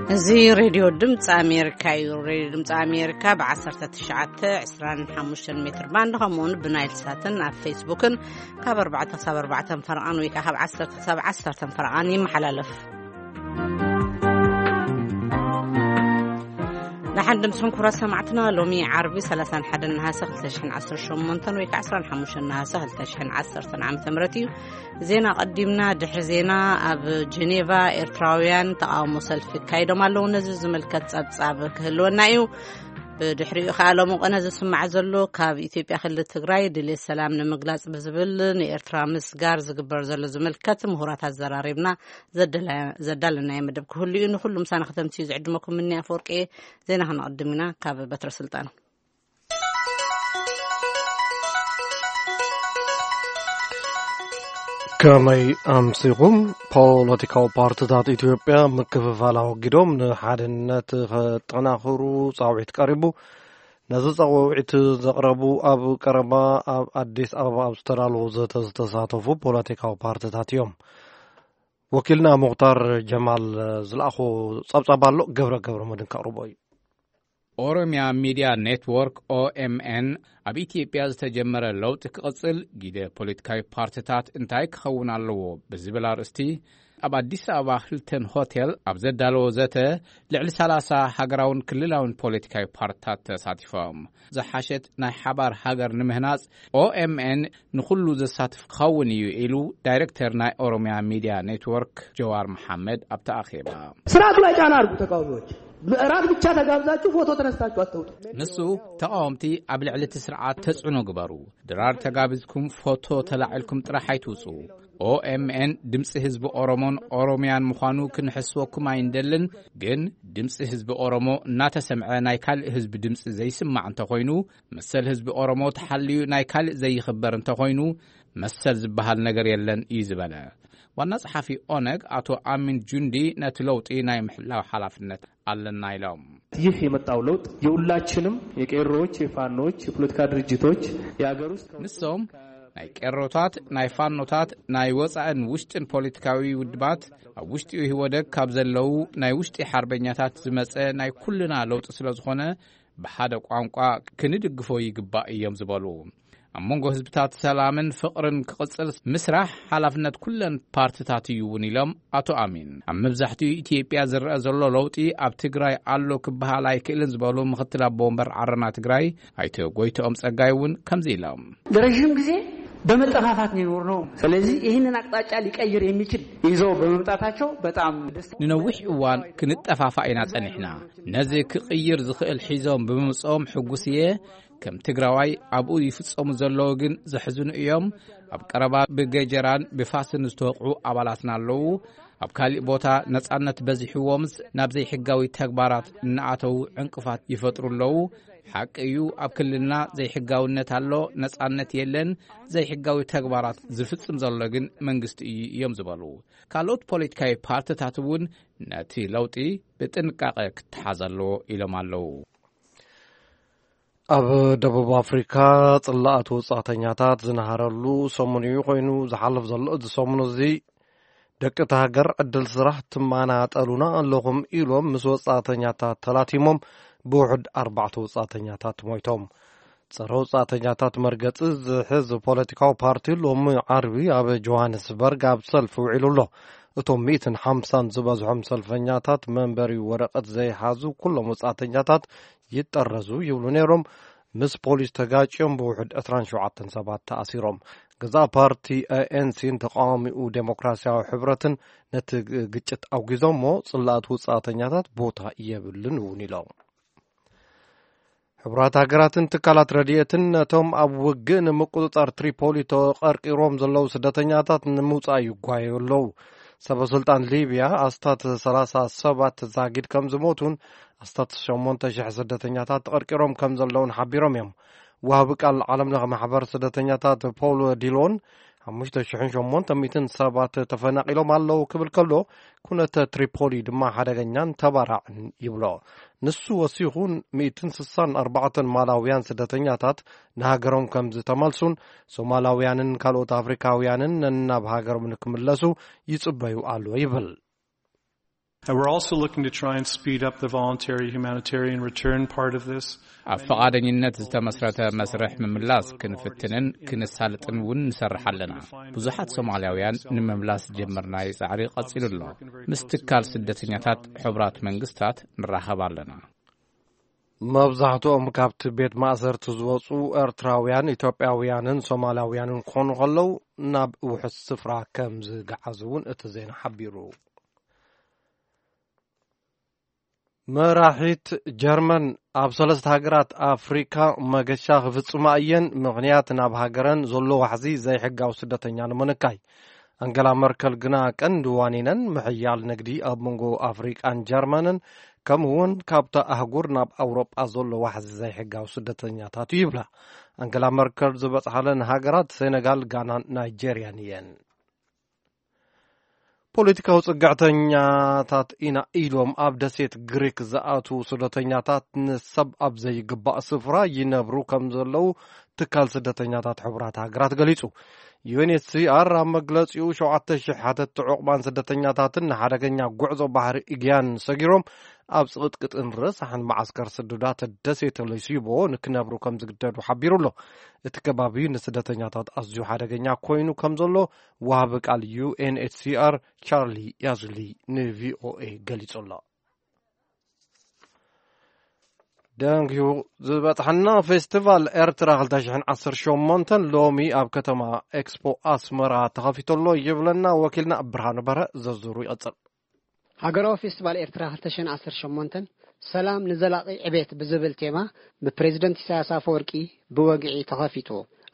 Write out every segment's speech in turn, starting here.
እዚ ሬድዮ ድምፂ ኣሜሪካ እዩ። ሬድዮ ድምፂ ኣሜሪካ ብ19፣ 25 ሜትር ባንድ፣ ከምኡውን ብናይል ሳትን ኣብ ፌስቡክን ካብ ኣርባዕተ ክሳብ ኣርባዕተ ፈረቓን ወይ ከዓ ካብ ዓሰርተ ክሳብ ዓሰርተ ፈረቓን ይመሓላለፍ። ደሓን ድምፅኹም ክቡራት ሰማዕትና። ሎሚ ዓርቢ ሰላሳን ሓደን ነሃሰ ክልተ ሽሕን ዓሰርተ ሸሞንተን ወይ ከዓ ዕስራን ሓሙሽተን ነሃሰ ክልተ ሽሕን ዓሰርተን ዓመተ ምህረት እዩ። ዜና ቀዲምና። ድሕሪ ዜና፣ ኣብ ጀኔቫ ኤርትራውያን ተቃውሞ ሰልፊ ካይዶም ኣለዉ። ነዚ ዝምልከት ጸብጻብ ክህልወና እዩ። ብድሕሪኡ ከኣ ሎሚ ቅነ ዝስማዕ ዘሎ ካብ ኢትዮጵያ ክልል ትግራይ ድሌት ሰላም ንምግላጽ ብዝብል ንኤርትራ ምስጋር ዝግበር ዘሎ ዝምልከት ምሁራት ኣዘራሪብና ዘደላ-፣ ዘዳለናዮ መደብ ክህሉ እዩ። ንኹሉ ምሳና ከተምስዩ ዝዕድመኩም ምኒ ኣፈወርቂ። ዜና ክነቕድም ኢና ካብ በትረ ስልጣን። ከመይ ኣምሲኹም? ፖለቲካዊ ፓርትታት ኢትዮጵያ ምክፍፋል ኣወጊዶም ንሓድነት ከጠናኽሩ ጻውዒት ቀሪቡ። ነዚ ጻውዒት ዘቕረቡ ኣብ ቀረባ ኣብ ኣዲስ ኣበባ ኣብ ዝተዳለወ ዘተ ዝተሳተፉ ፖለቲካዊ ፓርትታት እዮም። ወኪልና ሙኽታር ጀማል ዝለኣኾ ጸብጻብ ኣሎ፣ ገብረ ገብረ መድን ከቕርቦ እዩ። ኦሮሚያ ሚዲያ ኔትወርክ፣ ኦኤምኤን፣ ኣብ ኢትዮጵያ ዝተጀመረ ለውጢ ክቕጽል ግደ ፖለቲካዊ ፓርትታት እንታይ ክኸውን ኣለዎ ብዝብል ኣርእስቲ ኣብ ኣዲስ ኣበባ ሂልተን ሆቴል ኣብ ዘዳለዎ ዘተ፣ ልዕሊ ሰላሳ ሃገራውን ክልላውን ፖለቲካዊ ፓርትታት ተሳቲፎም። ዝሓሸት ናይ ሓባር ሃገር ንምህናጽ ኦኤምኤን ንኹሉ ዘሳትፍ ክኸውን እዩ ኢሉ ዳይሬክተር ናይ ኦሮሚያ ሚዲያ ኔትወርክ ጀዋር መሓመድ ኣብቲ ኣኼባ። ስርዓቱ ላይ ጫና አድርጉ ተቃዋሚዎች። እራት ብቻ ተጋብዛችሁ ፎቶ ተነስታችሁ አትውጡ። ንሱ፣ ተቃወምቲ ኣብ ልዕሊ እቲ ስርዓት ተጽዕኖ ግበሩ። ድራር ተጋቢዝኩም ፎቶ ተላዒልኩም ጥራሕ ኣይትውጹ። ኦኤምኤን ድምጺ ህዝቢ ኦሮሞን ኦሮሚያን ምዃኑ ክንሕስወኩም ኣይንደልን፣ ግን ድምጺ ህዝቢ ኦሮሞ እናተሰምዐ ናይ ካልእ ህዝቢ ድምጺ ዘይስማዕ እንተኾይኑ፣ መሰል ህዝቢ ኦሮሞ ተሓልዩ ናይ ካልእ ዘይኽበር እንተኾይኑ፣ መሰል ዝበሃል ነገር የለን እዩ ዝበለ። ዋና ጸሓፊ ኦነግ ኣቶ ኣሚን ጁንዲ ነቲ ለውጢ ናይ ምሕላው ሓላፍነት ኣለና ኢሎም። ይህ የመጣው ለውጥ የሁላችንም የቄሮዎች፣ የፋኖዎች፣ የፖለቲካ ድርጅቶች፣ የአገር ውስጥ ንሶም ናይ ቄሮታት፣ ናይ ፋኖታት፣ ናይ ወጻእን ውሽጥን ፖለቲካዊ ውድባት፣ ኣብ ውሽጢ ኢህወደግ ካብ ዘለዉ ናይ ውሽጢ ሓርበኛታት ዝመጸ ናይ ኩልና ለውጢ ስለ ዝኾነ፣ ብሓደ ቋንቋ ክንድግፎ ይግባእ እዮም ዝበሉ። ኣብ መንጎ ህዝብታት ሰላምን ፍቕርን ክቕጽል ምስራሕ ሓላፍነት ኩለን ፓርትታት እዩ እውን ኢሎም ኣቶ ኣሚን። ኣብ መብዛሕትኡ ኢትዮጵያ ዝረአ ዘሎ ለውጢ ኣብ ትግራይ ኣሎ ክበሃል ኣይክእልን ዝበሉ ምክትል ኣቦ ወንበር ዓረና ትግራይ ኣይተ ጎይተኦም ጸጋይ እውን ከምዚ ኢሎም። ለረዥም ጊዜ በመጠፋፋት ነው የኖርነው። ስለዚህ ይህንን አቅጣጫ ሊቀይር የሚችል ይዘው በመምጣታቸው በጣም ደስ ንነዊሕ እዋን ክንጠፋፋ ኢና ጸኒሕና። ነዚ ክቕይር ዝኽእል ሒዞም ብምምጽኦም ሕጉስ እየ። ከም ትግራዋይ ኣብኡ ይፍጸሙ ዘለዉ ግን ዘሕዝኑ እዮም። ኣብ ቀረባ ብገጀራን ብፋስን ዝተወቕዑ ኣባላትና ኣለዉ። ኣብ ካሊእ ቦታ ነጻነት በዚሕዎምስ ናብ ዘይሕጋዊ ተግባራት እናኣተዉ ዕንቅፋት ይፈጥሩ ኣለዉ። ሓቂ እዩ፣ ኣብ ክልልና ዘይሕጋውነት ኣሎ፣ ነጻነት የለን። ዘይሕጋዊ ተግባራት ዝፍጽም ዘሎ ግን መንግስቲ እዩ እዮም ዝበሉ። ካልኦት ፖለቲካዊ ፓርትታት እውን ነቲ ለውጢ ብጥንቃቐ ክተሓዝ ኣለዎ ኢሎም ኣለዉ። ኣብ ደቡብ ኣፍሪካ ጽላኣት ወጻእተኛታት ዝነሃረሉ ሰሙን እዩ ኮይኑ ዝሓልፍ ዘሎ። እዚ ሰሙን እዚ ደቂ እታ ሃገር ዕድል ስራሕ ትመናጠሉና ኣለኹም ኢሎም ምስ ወጻእተኛታት ተላቲሞም ብውሑድ ኣርባዕተ ወጻእተኛታት ሞይቶም። ጸረ ወጻእተኛታት መርገጺ ዝሕዝ ፖለቲካዊ ፓርቲ ሎሚ ዓርቢ ኣብ ጆሃንስበርግ ኣብ ሰልፊ ውዒሉ ኣሎ። እቶም ሚእትን ሓምሳን ዝበዝሖም ሰልፈኛታት መንበሪ ወረቐት ዘይሓዙ ኩሎም ወጻእተኛታት ይጠረዙ ይብሉ ነይሮም። ምስ ፖሊስ ተጋጭዮም ብውሑድ ዕስራን ሸውዓተን ሰባት ተኣሲሮም። ገዛእ ፓርቲ ኤኤንሲን ተቃዋሚኡ ዴሞክራሲያዊ ሕብረትን ነቲ ግ-፣ ግጭት ኣውጊዞሞ ጽላኣት ውጻእተኛታት ቦታ የብልን እውን ኢሎም። ሕቡራት ሃገራትን ትካላት ረድኤትን ነቶም ኣብ ውግእ ንምቁጽጻር ትሪፖሊ ተቐርቂሮም ዘለዉ ስደተኛታት ንምውጻእ ይጓየዩ ኣለዉ። ሰበ ስልጣን ሊብያ ኣስታት ሰላሳ ሰባት ዛጊድ ከም ዝሞቱን ኣስታት ሸሞንተ ሽሕ ስደተኛታት ተቐርቂሮም ከም ዘለዉን ሓቢሮም እዮም። ወሃቢ ቃል ዓለም ለኸ ማሕበር ስደተኛታት ፖል ዲሎን ሓሙሽተ ሽሕን ሸሞንተ ሚእትን ሰባት ተፈናቒሎም ኣለዉ ክብል ከሎ፣ ኩነተ ትሪፖሊ ድማ ሓደገኛን ተባራዕን ይብሎ። ንሱ ወሲኹ፣ ሚእትን ስሳን ኣርባዕተን ማላውያን ስደተኛታት ንሃገሮም ከም ዝተመልሱን ሶማላውያንን ካልኦት ኣፍሪካውያንን ነናብ ሃገሮም ንክምለሱ ይጽበዩ ኣለዉ ይብል። And we're also looking to try and speed up the voluntary humanitarian return part of this. ኣብ ፈቓደኝነት ዝተመስረተ መስርሕ ምምላስ ክንፍትንን ክንሳልጥን እውን ንሰርሕ ኣለና። ብዙሓት ሶማልያውያን ንምምላስ ዝጀመርናዮ ጻዕሪ ቀጺሉ ኣሎ። ምስ ትካል ስደተኛታት ሕቡራት መንግስታት ንራኸብ ኣለና። መብዛሕትኦም ካብቲ ቤት ማእሰርቲ ዝወጹ ኤርትራውያን፣ ኢትዮጵያውያንን ሶማላውያንን ክኾኑ ከለዉ፣ ናብ ውሑስ ስፍራ ከም ዝገዓዙ እውን እቲ ዜና ሓቢሩ። መራሒት ጀርመን ኣብ ሰለስተ ሃገራት ኣፍሪካ መገሻ ክፍጽማ እየን፣ ምኽንያት ናብ ሃገረን ዘሎ ዋሕዚ ዘይሕጋዊ ስደተኛ ንምንካይ። ኣንገላ መርከል ግና ቀንዲ ዋኒነን ምሕያል ንግዲ ኣብ መንጎ ኣፍሪቃን ጀርመንን፣ ከምኡ እውን ካብታ ኣህጉር ናብ ኣውሮጳ ዘሎ ዋሕዚ ዘይሕጋዊ ስደተኛታት እዩ ይብላ። ኣንገላ መርከል ዝበጽሓለን ሃገራት ሴነጋል፣ ጋናን ናይጄርያን እየን። ፖለቲካዊ ጽግዕተኛታት ኢና ኢሎም ኣብ ደሴት ግሪክ ዝኣትዉ ስደተኛታት ንሰብ ኣብ ዘይግባእ ስፍራ ይነብሩ ከም ዘለዉ ትካል ስደተኛታት ሕቡራት ሃገራት ገሊጹ። ዩ ኤን ኤች ሲ ኣር ኣብ መግለጺኡ፣ ሸውዓተ ሺሕ ሓተትቲ ዑቕባን ስደተኛታትን ንሓደገኛ ጉዕዞ ባሕሪ ኢግያን ሰጊሮም ኣብ ጽቕጥቅጥን ረሳሕን መዓስከር ስዱዳት ደሴት ሌሲቦ ንክነብሩ ከም ዝግደዱ ሓቢሩ ኣሎ። እቲ ከባቢ ንስደተኛታት ኣዝዩ ሓደገኛ ኮይኑ ከም ዘሎ ወሃቢ ቃል ዩ ኤን ኤች ሲ ኣር ቻርሊ ያዝሊ ን ቪ ኦ ኤ ገሊጹ ኣሎ። ደንግዩ ዝበጽሐና ፌስቲቫል ኤርትራ ክልተ ሽሕን ዓሰርተ ሸሞንተን ሎሚ ኣብ ከተማ ኤክስፖ ኣስመራ ተኸፊቱ ኣሎ ይብለና ወኪልና ብርሃኑ በርሀ። ዝርዝሩ ይቐጽል። ሃገራዊ ፌስቲቫል ኤርትራ ክልተ ሽሕን ዓሰርተ ሸሞንተን ሰላም ንዘላቒ ዕቤት ብዝብል ቴማ ብፕሬዝደንት ኢሳያስ ኣፈወርቂ ብወግዒ ተኸፊቱ።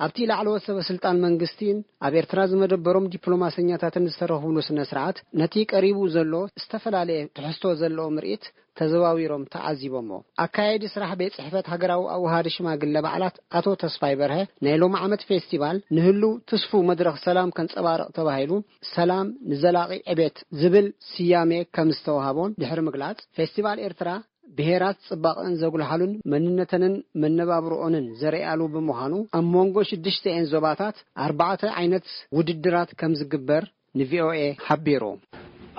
ኣብቲ ላዕለዎት ሰበ ስልጣን መንግስቲን ኣብ ኤርትራ ዝመደበሮም ዲፕሎማሰኛታትን ዝተረኽብሉ ስነ ስርዓት፣ ነቲ ቀሪቡ ዘሎ ዝተፈላለየ ትሕዝቶ ዘለዎ ምርኢት ተዘዋዊሮም ተዓዚቦሞ። ኣካያዲ ስራሕ ቤት ጽሕፈት ሃገራዊ ኣዋሃዲ ሽማግለ በዓላት ኣቶ ተስፋይ በርሀ፣ ናይ ሎሚ ዓመት ፌስቲቫል ንህሉው ትስፉው መድረኽ ሰላም ከንጸባርቕ ተባሂሉ፣ ሰላም ንዘላቒ ዕቤት ዝብል ስያሜ ከም ዝተዋህቦን ድሕሪ ምግላጽ፣ ፌስቲቫል ኤርትራ ብሄራት ጽባቐን ዘጉልሓሉን መንነተንን መነባብሮኦንን ዘርእያሉ ብምዃኑ፣ ኣብ መንጎ ሽዱሽተኤን ዞባታት ኣርባዕተ ዓይነት ውድድራት ከም ዝግበር ን ቪ ኦ ኤ ሓቢሩ።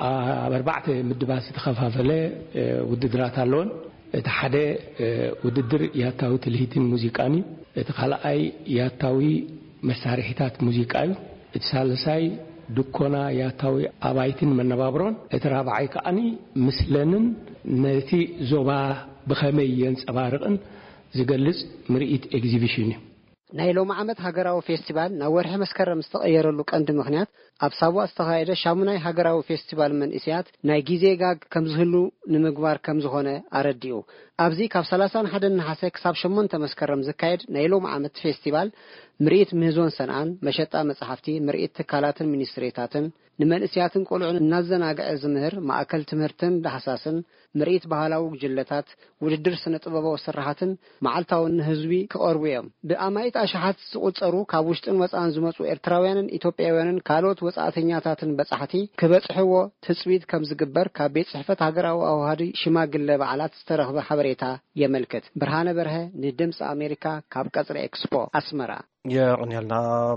ኣብ ኣርባዕተ ምድባት ዝተኸፋፈለ፣ እ፣ ውድድራት ኣለዎን። እቲ ሓደ፣ እ፣ ውድድር ያታዊ ትልሂትን ሙዚቃን እዩ። እቲ ካልኣይ ያታዊ መሳርሒታት ሙዚቃ እዩ። እቲ ሳልሳይ ድኮና ያታዊ ኣባይትን መነባብሮን። እቲ ራብዓይ ከኣኒ ምስለንን ነቲ ዞባ ብኸመይ የንጸባርቕን ዝገልጽ ምርኢት ኤግዚቢሽን እዩ። ናይ ሎሚ ዓመት ሃገራዊ ፌስቲቫል ናብ ወርሒ መስከረም ዝተቐየረሉ ቀንዲ ምኽንያት፣ ኣብ ሳዋ ዝተኻየደ ሻሙናይ ሃገራዊ ፌስቲቫል መንእሰያት ናይ ግዜ ጋግ ከም ዝህሉ ንምግባር ከም ዝኾነ ኣረዲኡ። ኣብዚ ካብ ሰላሳን ሓደን ነሓሰ ክሳብ ሸሞንተ መስከረም ዝካየድ ናይ ሎሚ ዓመት ፌስቲቫል፣ ምርኢት ምህዞን ሰንዓን፣ መሸጣ መጻሕፍቲ፣ ምርኢት ትካላትን ሚኒስትሪታትን፣ ንመንእሰያትን ቆልዑን እናዘናግዐ ዝምህር ማእከል ትምህርትን ዳህሳስን፣ ምርኢት ባህላዊ ጉጅለታት፣ ውድድር ስነ ጥበባዊ ስርሓትን መዓልታዊ ንህዝቢ ክቐርቡ እዮም። ብኣማኢት ኣሽሓት ዝቑጸሩ ካብ ውሽጥን ወጻእን ዝመጹ ኤርትራውያንን ኢትዮጵያውያንን ካልኦት ወጻእተኛታትን በጻሕቲ ክበጽሕዎ ትጽቢት ከም ዝግበር ካብ ቤት ጽሕፈት ሃገራዊ ኣዋሃዲ ሽማግለ በዓላት ዝተረኽበ ሓበሬታ የመልክት። ብርሃነ በርሀ ንድምጺ ኣሜሪካ ካብ ቀጽሪ ኤክስፖ ኣስመራ። የቕንየልና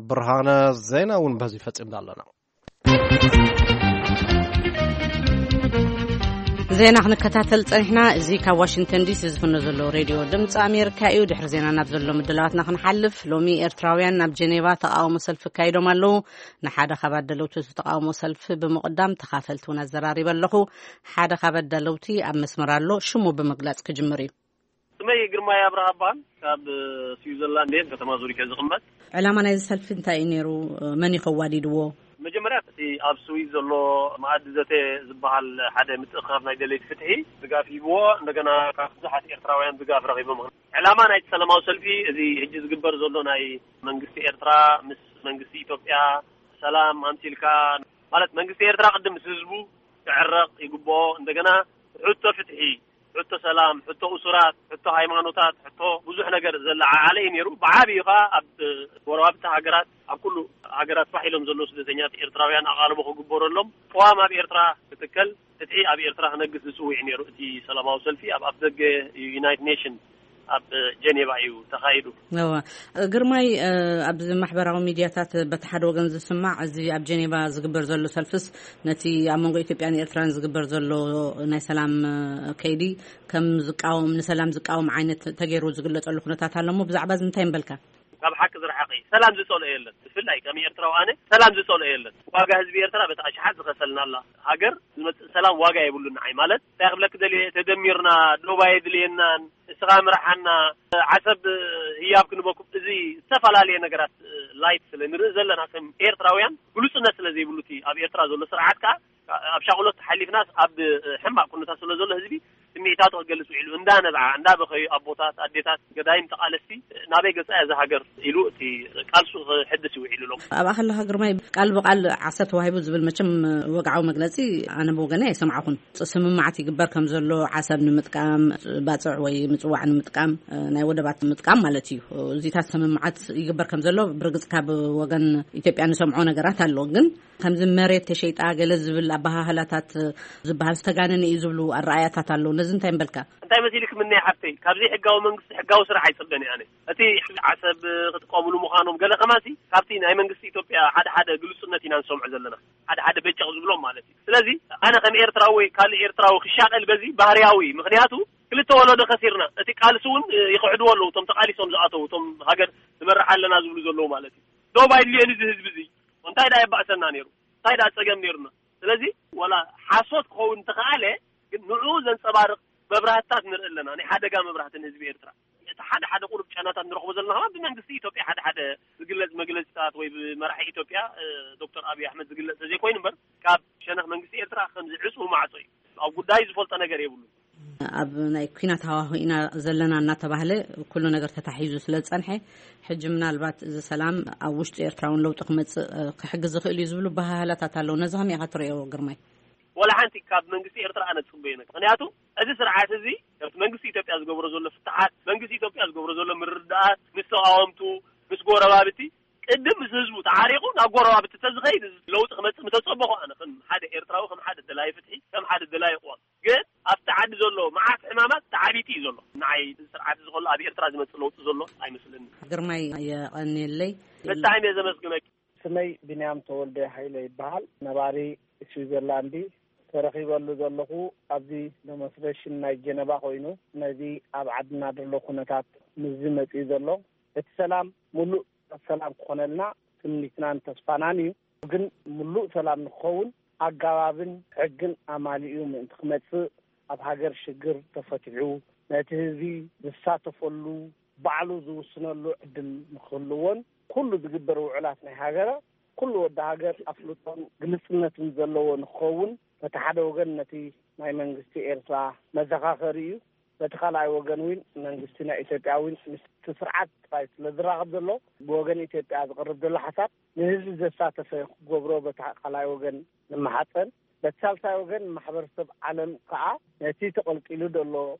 ብርሃነ። ዜና እውን በዚ ፈጺምና ኣለና። ዜና ክንከታተል ጸኒሕና። እዚ ካብ ዋሽንግተን ዲሲ ዝፍኖ ዘሎ ሬድዮ ድምፂ ኣሜሪካ እዩ። ድሕሪ ዜና ናብ ዘሎ ምድላዋትና ክንሓልፍ፣ ሎሚ ኤርትራውያን ናብ ጀኔቫ ተቃውሞ ሰልፊ ኣካይዶም ኣለዉ። ንሓደ ካብ ኣደለውቲ እቲ ተቃውሞ ሰልፊ ብምቕዳም ተኻፈልቲ እውን ኣዘራሪበ ኣለኹ። ሓደ ካብ ኣዳለውቲ ኣብ መስመር ኣሎ። ሽሙ ብምግላጽ ክጅምር እዩ። ስመይ ግርማይ ኣብርሃ እበሃል። ካብ ስዊዘርላንድ እየ፣ ከተማ ዙሪክ እየ ዝቕመጥ። ዕላማ ናይዚ ሰልፊ እንታይ እዩ ነይሩ? መን እዩ ከዋዲድዎ? መጀመርያ እቲ ኣብ ስዊዝ ዘሎ መኣዲ ዘተ ዝበሃል ሓደ ምትእኽኻብ ናይ ደለይቲ ፍትሒ ድጋፍ ሂብዎ፣ እንደገና ካብ ብዙሓት ኤርትራውያን ድጋፍ ረኺቡ። ምኽንያት ዕላማ ናይቲ ሰላማዊ ሰልፊ እዚ ሕጂ ዝግበር ዘሎ ናይ መንግስቲ ኤርትራ ምስ መንግስቲ ኢትዮጵያ ሰላም ኣምሲልካ፣ ማለት መንግስቲ ኤርትራ ቅድም ምስ ህዝቡ ክዕረቕ ይግብኦ። እንደገና ሕቶ ፍትሒ፣ ሕቶ ሰላም፣ ሕቶ እሱራት፣ ሕቶ ሃይማኖታት፣ ሕቶ ብዙሕ ነገር ዘለዓዓለ እዩ ነይሩ። ብዓብዩ ኸኣ ኣብ ጎረባብቲ ሃገራት፣ ኣብ ኩሉ ሃገራት ፋሕ ኢሎም ዘለዉ ስደተኛታት ኤርትራውያን ኣቓልቦ ክግበረሎም፣ ቅዋም ኣብ ኤርትራ ክትከል፣ ፍትሒ ኣብ ኤርትራ ክነግስ ዝጽውዕ እዩ ነይሩ። እቲ ሰላማዊ ሰልፊ ኣብ ኣፍደገ ዩናይትድ ኔሽን ኣብ ጀኔቫ እዩ ተኻይዱ። እዋ ግርማይ፣ ኣብዚ ማሕበራዊ ሚድያታት በቲ ሓደ ወገን ዝስማዕ፣ እዚ ኣብ ጀኔቫ ዝግበር ዘሎ ሰልፍስ ነቲ ኣብ መንጎ ኢትዮጵያን ኤርትራን ዝግበር ዘሎ ናይ ሰላም ከይዲ ከም ዝቃወም፣ ንሰላም ዝቃወም ዓይነት ተገይሩ ዝግለጸሉ ኩነታት ኣሎ እሞ፣ ብዛዕባ እዚ እንታይ ምበልካ? ካብ ሓቂ ዝረሓቐ እዩ። ሰላም ዝጸልኦ የለን። ብፍላይ ከም ኤርትራዊ ኣነ ሰላም ዝጸልኦ የለን። ዋጋ ህዝቢ ኤርትራ በቲ ኣሽሓት ዝኸፈልና ኣላ። ሃገር ዝመጽእ ሰላም ዋጋ የብሉን። ንዓይ ማለት እንታይ ክብለክ ደልየ፣ ተደሚርና ዶብ ኣየድልየናን፣ እስኻ ምርሓና፣ ዓሰብ ህያብ ክንበኩም፣ እዚ ዝተፈላለየ ነገራት ላይት ስለ ንርኢ ዘለና ከም ኤርትራውያን ግሉጽነት ስለ ዘይብሉ፣ እቲ ኣብ ኤርትራ ዘሎ ስርዓት ከኣ ኣብ ሻቕሎት ሓሊፍናስ ኣብ ሕማቕ ኩነታት ስለ ዘሎ ህዝቢ ስምዒታቱ ክገልጽ ውዒሉ፣ እንዳ ነብዓ እንዳ በኸዩ ኣቦታት ኣዴታት ገዳይም ተቓለስቲ ናበይ ገጻ እያ እዛ ሃገር ኢሉ እቲ ቃልሱ ክሕድስ ይውዒሉ ኣሎ። ኣብኣ ከለኻ ግርማይ፣ ቃል ብቃል ዓሰብ ተዋሂቡ ዝብል መቸም ወግዓዊ መግለጺ ኣነ ብወገነይ ኣይሰምዓኹን። ስምምዓት ይግበር ከም ዘሎ፣ ዓሰብ ንምጥቃም፣ ባጽዕ ወይ ምጽዋዕ ንምጥቃም፣ ናይ ወደባት ምጥቃም ማለት እዩ። እዚታት ስምምዓት ይግበር ከም ዘሎ ብርግጽ ካብ ወገን ኢትዮጵያ ንሰምዖ ነገራት ኣሎ። ግን ከምዚ መሬት ተሸይጣ ገለ ዝብል ኣበሃህላታት ዝበሃል ዝተጋነነ እዩ ዝብሉ ኣረኣያታት ኣለዉ። ነዚ እንታይ ምበልካ? እንታይ መሲልክ ምነይ ሓፍተይ፣ ካብ ዘይሕጋዊ መንግስቲ ሕጋዊ ስራሕ ኣይጽበን እየ ኣነ። እቲ ዓሰብ ክጥቀምሉ ምዃኖም ገለ ከማሲ ካብቲ ናይ መንግስቲ ኢትዮጵያ ሓደ ሓደ ግልጹነት ኢና ንሰምዖ ዘለና፣ ሓደ ሓደ በጨቕ ዝብሎም ማለት እዩ። ስለዚ ኣነ ከም ኤርትራዊ ወይ ካልእ ኤርትራዊ ክሻቐል በዚ ባህርያዊ፣ ምኽንያቱ ክልተ ወለዶ ከሲርና፣ እቲ ቃልሲ እውን ይኽዕድዎ ኣለዉ፣ እቶም ተቓሊሶም ዝኣተዉ፣ እቶም ሃገር ንመርሕ ኣለና ዝብሉ ዘለዉ ማለት እዩ። ዶብ ኣይድልዮን እዚ ህዝቢ እዚ እንታይ ደኣ የባእሰና ነይሩ? እንታይ ደኣ ጸገም ነይሩና? ስለዚ ወላ ሓሶት ክኸውን እንተኸኣለ፣ ግን ንዕኡ ዘንጸባርቕ መብራህትታት ንርኢ ኣለና። ናይ ሓደጋ መብራህቲ ንህዝቢ ኤርትራ። እቲ ሓደ ሓደ ቁሩብ ጨናታት ንረኽቦ ዘለና ከኣ ብመንግስቲ ኢትዮጵያ ሓደ ሓደ ዝግለጽ መግለጽታት ወይ ብመራሒ ኢትዮጵያ ዶክተር ኣብይ ኣሕመድ ዝግለጽ ተዘይኮይኑ እምበር፣ ካብ ሸነኽ መንግስቲ ኤርትራ ከምዚ ዕጹው ማዕጾ እዩ። ኣብ ጉዳይ ዝፈልጦ ነገር የብሉን። ኣብ ናይ ኲናት ሃዋሁ ኢና ዘለና እናተባህለ ኩሉ ነገር ተታሒዙ ስለ ዝጸንሐ፣ ሕጂ ምናልባት እዚ ሰላም ኣብ ውሽጢ ኤርትራ እውን ለውጢ ክመጽእ ክሕግዝ ዝኽእል እዩ ዝብሉ ኣበሃህላታት ኣለዉ። ነዚ ከመይ ኢኻ ትርእዮ ግርማይ? ወላ ሓንቲ ካብ መንግስቲ ኤርትራ ኣነ ዝጽበዮ ነገር፣ ምኽንያቱ እዚ ስርዓት እዚ ካብቲ መንግስቲ ኢትዮጵያ ዝገብሮ ዘሎ ፍትሓት፣ መንግስቲ ኢትዮጵያ ዝገብሮ ዘሎ ምርድዳኣት ምስ ተቃወምቱ፣ ምስ ጎረባብቲ፣ ቅድም ምስ ህዝቡ ተዓሪቑ ናብ ጎረባብቲ ተዝኸይድ ለውጢ ክመጽእ ምተጸበኹ። ኣነ ከም ሓደ ኤርትራዊ፣ ከም ሓደ ደላይ ፍትሒ፣ ከም ሓደ ደላይ ቅዋም፣ ግን ኣብቲ ዓዲ ዘሎ መዓት ሕማማት ተዓቢጡ እዩ ዘሎ። ንዓይ እዚ ስርዓት እዚ ከሎ ኣብ ኤርትራ ዝመጽእ ለውጢ ዘሎ ኣይመስለኒ። ግርማይ የቐንየለይ። ብጣዕሚ እየ ዘመስግነኪ። ስመይ ቢንያም ተወልደ ሃይለ ይበሃል። ነባሪ ስዊዘርላንድ። ተረኺበሉ ዘለኹ ኣብዚ ደሞንስትሬሽን ናይ ጀነቫ ኮይኑ፣ ነዚ ኣብ ዓድና ዘሎ ኩነታት ምስዚ መጺኡ ዘሎ፣ እቲ ሰላም ሙሉእ ሰላም ክኾነልና ትምኒትናን ተስፋናን እዩ። ግን ሙሉእ ሰላም ንክኸውን ኣገባብን ሕግን ኣማሊኡ ምእንቲ ክመጽእ፣ ኣብ ሃገር ሽግር ተፈቲሑ ነቲ ህዝቢ ዝሳተፈሉ፣ ባዕሉ ዝውስነሉ ዕድል ንክህልዎን፣ ኩሉ ዝግበር ውዕላት ናይ ሃገረ ኩሉ ወዲ ሃገር ኣፍልጦን ግልጽነትን ዘለዎ ንክኸውን፣ በቲ ሓደ ወገን ነቲ ናይ መንግስቲ ኤርትራ መዘኻኸሪ እዩ። በቲ ካልኣይ ወገን እውን መንግስቲ ናይ ኢትዮጵያ እውን ምስቲ ስርዓት ጥራይ ስለ ዝራኸብ ዘሎ፣ ብወገን ኢትዮጵያ ዝቐርብ ዘሎ ሓሳብ ንህዝቢ ዘሳተፈ ክገብሮ በቲ ካልኣይ ወገን ንመሓጸን። በቲ ሳልሳይ ወገን ማሕበረሰብ ዓለም ከኣ ነቲ ተቐልቂሉ ዘሎ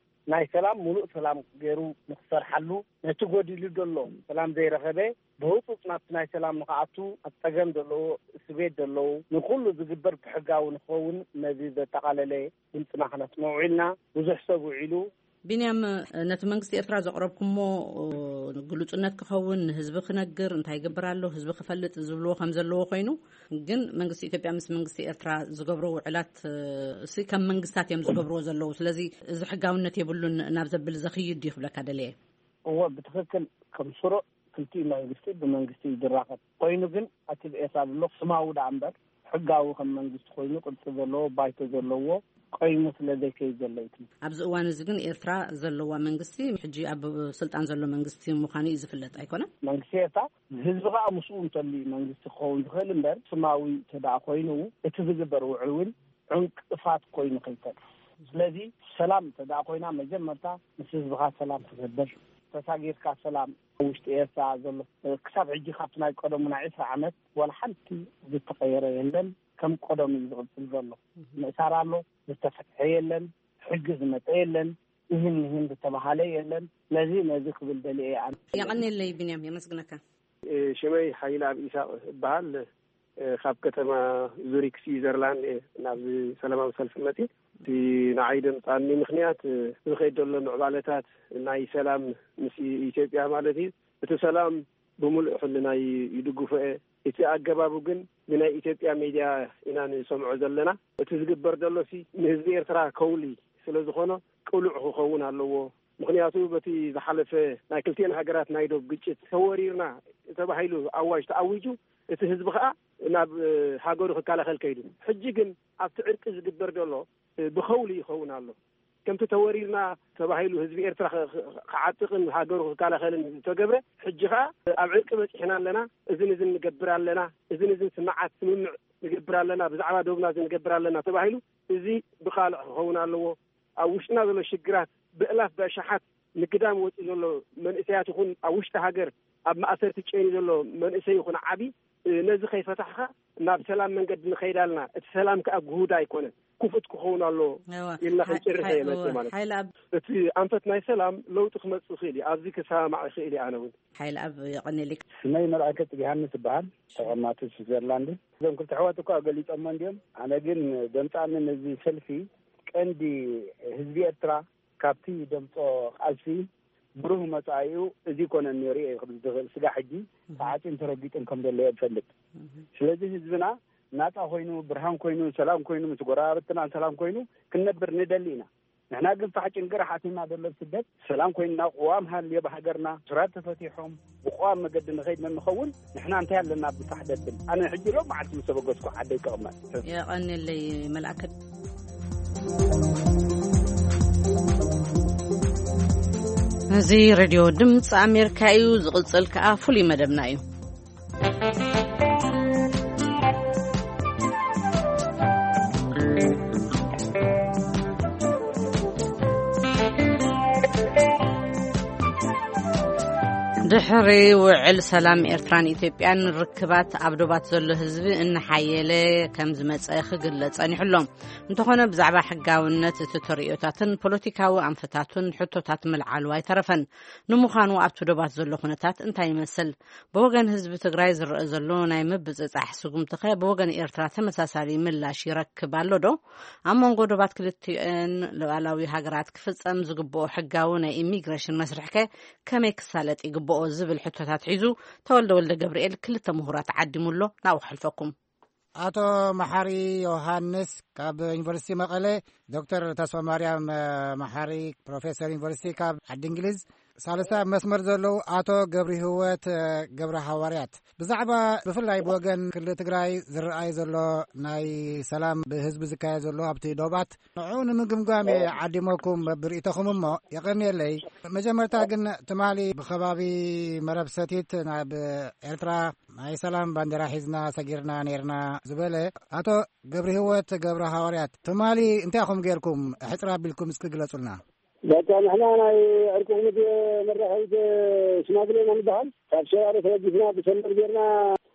ናይ ሰላም ሙሉእ ሰላም ገይሩ ንክሰርሓሉ፣ ነቲ ጎዲሉ ዘሎ ሰላም ዘይረኸበ ብህጹጽ ናብቲ ናይ ሰላም ንክኣቱ፣ ኣብ ጸገም ዘለዎ፣ እስር ቤት ዘለዉ፣ ንኹሉ ዝግበር ብሕጋዊ ንክኸውን ነዚ ዘጠቓለለ ድምጽና ክነስምዕ ውዒልና። ብዙሕ ሰብ ውዒሉ። ቢንያም፣ ነቲ መንግስቲ ኤርትራ ዘቕረብኩሞ ግሉጽነት ክኸውን፣ ንህዝቢ ክነግር፣ እንታይ ይገብር ኣሎ ህዝቢ ክፈልጥ ዝብልዎ ከም ዘለዎ ኮይኑ፣ ግን መንግስቲ ኢትዮጵያ ምስ መንግስቲ ኤርትራ ዝገብሮ ውዕላት፣ እሲ ከም መንግስታት እዮም ዝገብርዎ ዘለዉ። ስለዚ እዚ ሕጋውነት የብሉን ናብ ዘብል ዘኽይድ ድዩ ክብለካ ደለየ። እወ፣ ብትኽክል ከም ስሩዕ ክልቲኡ መንግስቲ ብመንግስቲ እዩ ዝራኸብ። ኮይኑ ግን ኣቲ ብኤሳ ዘሎ ስማዊ ደኣ እምበር ሕጋዊ ከም መንግስቲ ኮይኑ ቅርጺ ዘለዎ ባይቶ ዘለዎ ቆይሙ ስለ ዘይከይድ ዘሎ እዩ እቲ። ኣብዚ እዋን እዚ ግን ኤርትራ ዘለዋ መንግስቲ ሕጂ ኣብ ስልጣን ዘሎ መንግስቲ ምዃኑ እዩ ዝፍለጥ ኣይኮነን? መንግስቲ ኤርትራ ህዝቢ ከኣ ምስኡ እንተልዩ መንግስቲ ክኸውን ዝኽእል እምበር ስማዊ ተደኣ ኮይኑ እቲ ዝግበር ውዕል እውን ዕንቅፋት ኮይኑ ከይተርፍ። ስለዚ ሰላም እንተ ደኣ ኮይና መጀመርታ ምስ ህዝብኻ ሰላም ትገብር። ተሳጊርካ ሰላም ኣብ ውሽጢ ኤርትራ ዘሎ ክሳብ ሕጂ ካብቲ ናይ ቀደሙ ናይ ዕስራ ዓመት ዋላ ሓንቲ ዝተቐየረ የለን። ከም ቀደሙ እዩ ዝቕጽል ዘሎ። ምእሳር ኣሎ፣ ዝተፈትሐ የለን፣ ሕጊ ዝመጸ የለን፣ እህን እህን ዝተባሃለ የለን። ስለዚ ነዚ ክብል ደልየ ኣነ። የቐንየለይ ቢንያም፣ የመስግነካ። ሽመይ ሓይለ ኣብ ኢሳቕ እበሃል። ካብ ከተማ ዙሪክ ስዊዘርላንድ እየ ናብዚ ሰላማዊ ሰልፊ መፅእ። እቲ ንዓይ ደምጻኒ ምኽንያት፣ እ፣ ዝኸይድ ዘሎ ምዕባለታት ናይ ሰላም ምስ ኢ-፣ ኢትዮጵያ ማለት እዩ። እቲ ሰላም ብምሉእ ሕልናይ ይድግፎ እየ። እቲ ኣገባቡ ግን ብናይ ኢትዮጵያ ሜድያ ኢና ንሰምዖ ዘለና። እቲ ዝግበር ዘሎሲ ንህዝቢ ኤርትራ ከውሊ ስለ ዝኾነ ቅሉዕ ክኸውን ኣለዎ። ምኽንያቱ በቲ ዝሓለፈ ናይ ክልቲኤን ሃገራት ናይ ዶብ ግጭት ተወሪርና ተባሂሉ ኣዋጅ ተኣዊጁ፣ እቲ ህዝቢ ኸኣ ናብ፣ እ፣ ሃገሩ ክከላኸል ከይዱ። ሕጂ ግን ኣብቲ ዕርቂ ዝግበር ዘሎ፣ እ፣ ብኸውሊ ይኸውን ኣሎ። ከምቲ ተወሪርና ተባሂሉ ህዝቢ ኤርትራ ኸ-፣ ኸ-፣ ክዓጥቕን ሃገሩ ክከላኸልን ዝተገብረ፣ ሕጂ ኸኣ ኣብ ዕርቂ በጺሕና ኣለና፣ እዝን እዝን ንገብር ኣለና፣ እዝን እዝን ስምዓት ስምምዕ ንገብር ኣለና፣ ብዛዕባ ዶብና እዚ ንገብር ኣለና ተባሂሉ፣ እዚ ብኻልዕ ክኸውን ኣለዎ። ኣብ ውሽጥና ዘሎ ሽግራት ብእላፍ ብኣሽሓት ንግዳም ወጺኡ ዘሎ መንእሰያት ይኹን ኣብ ውሽጢ ሃገር ኣብ ማእሰርቲ ጨንዩ ዘሎ መንእሰይ ይኹን ዓቢ፣ እ፣ ነዚ ከይፈታሕካ ናብ ሰላም መንገዲ ንኸይድ ኣለና። እቲ ሰላም ከኣ ግሁድ ኣይኮነን። ክፉት ክኸውን ኣሎ እወ። ኢልና ሓ-፣ ክንጭርሕ ሓ-፣ እየ መጽእ እወ። ማለት እዩ። ሓይለ ኣብ እቲ ኣንፈት ናይ ሰላም ለውጢ ክመጽእ ይኽእል እዩ። ኣብዚ ክሰማማዕ ይኽእል እየ ኣነ እውን። ሓይለ ኣብ የቐንየለይ። ስመይ መልኣከ ጽግሃንስ ይበሃል። ተቐማጢ ስዊዘርላንድ። እዞም ክልተ ኣሕዋት እኳ ገሊጾሞ እንድዮም። ኣነ ግን ደምጻኒ ነዚ ሰልፊ ቀንዲ ህዝቢ ኤርትራ ካብቲ ደምጾ ቃልሲ ብሩህ መጻኢኡ እዚ ይኮነን ነይሩ እየ ክብል ዝኽእል። ስጋ ሕጂ ተዓጽዩን ተረጊጡን ከም ዘሎ እየ ዝፈልጥ። ስለዚ ህዝብና ናጻ ኮይኑ፣ ብርሃን ኮይኑ፣ ሰላም ኮይኑ፣ ምስ ጎረባብትናን ሰላም ኮይኑ ክንነብር ንደሊ ኢና። ንሕና ግን ፋሕ ጭንቅራሕ ኣትዩና ዘሎ ስደት። ሰላም ኮይንና፣ ቅዋም ሃልዮ ብሃገርና፣ ስራት ተፈቲሖም ብቅዋም መገዲ ንኸይድ ንኸውን፣ ንሕና እንታይ ኣለና ብፋሕ ደብል? ኣነ ሕጂ ሎም መዓልቲ ምስ ተበገስኩ ዓደይ ክቕመጥ። የቐንየለይ መልኣከ። እዚ ሬድዮ ድምፂ ኣሜሪካ እዩ። ዝቕጽል ከኣ ፍሉይ መደብና እዩ። ድሕሪ ውዕል ሰላም ኤርትራን ኢትዮጵያን፣ ርክባት ኣብ ዶባት ዘሎ ህዝቢ እናሓየለ ከም ዝመጸ ክግለጽ ጸኒሑ ኣሎ። እንተኾነ፣ ብዛዕባ ሕጋውነት እቲ ተርእዮታትን ፖለቲካዊ ኣንፈታቱን ሕቶታት ምልዓሉ ኣይተረፈን። ንምዃኑ፣ ኣብቲ ዶባት ዘሎ ኩነታት እንታይ ይመስል? ብወገን ህዝቢ ትግራይ ዝረአ ዘሎ ናይ ምብጽጻሕ ስጉምቲ ከ ብወገን ኤርትራ ተመሳሳሊ ምላሽ ይረክብ ኣሎ ዶ? ኣብ መንጎ ዶባት ክልቲኤን ሉዓላዊ ሃገራት ክፍጸም ዝግብኦ ሕጋዊ ናይ ኢሚግሬሽን መስርሕ ከ ከመይ ክሳለጥ ይግብኦ ዝብል ሕቶታት ሒዙ ተወልደ ወልደ ገብርኤል ክልተ ምሁራት ዓዲሙ ኣሎ። ናብኡ ከሕልፈኩም። ኣቶ መሓሪ ዮሃንስ ካብ ዩኒቨርሲቲ መቐለ፣ ዶክተር ተስፋ ማርያም፣ እ፣ መሓሪ ፕሮፌሰር ዩኒቨርሲቲ ካብ ዓዲ እንግሊዝ፣ ሳልሳይ ኣብ መስመር ዘለዉ ኣቶ ገብሪ ህይወት፣ እ፣ ገብረ ሃዋርያት፣ ብዛዕባ ብፍላይ ብወገን ክልል ትግራይ ዝረኣይ ዘሎ ናይ ሰላም ብህዝቢ ዝካየድ ዘሎ ኣብቲ ዶባት ንዕኡ ንምግምጋም እየ ዓዲመኩም ብርእይቶኹም እሞ የቐንየለይ። መጀመርታ ግን ትማሊ ብኸባቢ መረብ ሰቲት ናብ ኤርትራ ናይ ሰላም ባንዴራ ሒዝና ሰጊርና ነይርና ዝበለ ኣቶ ገብረ ህይወት ገብረ ሃዋርያት፣ ትማሊ እንታይ ኢኹም ጌርኩም? ሕጽር ኣቢልኩም እስኪ ግለጹልና። በቃ ንሕና ናይ ዕርቂ ኮሚቴ መራኸቢት ሽማግሌ ኢና ንበሃል። ካብ ሸራሮ ተበጊስና ብሰንበር ጌርና፣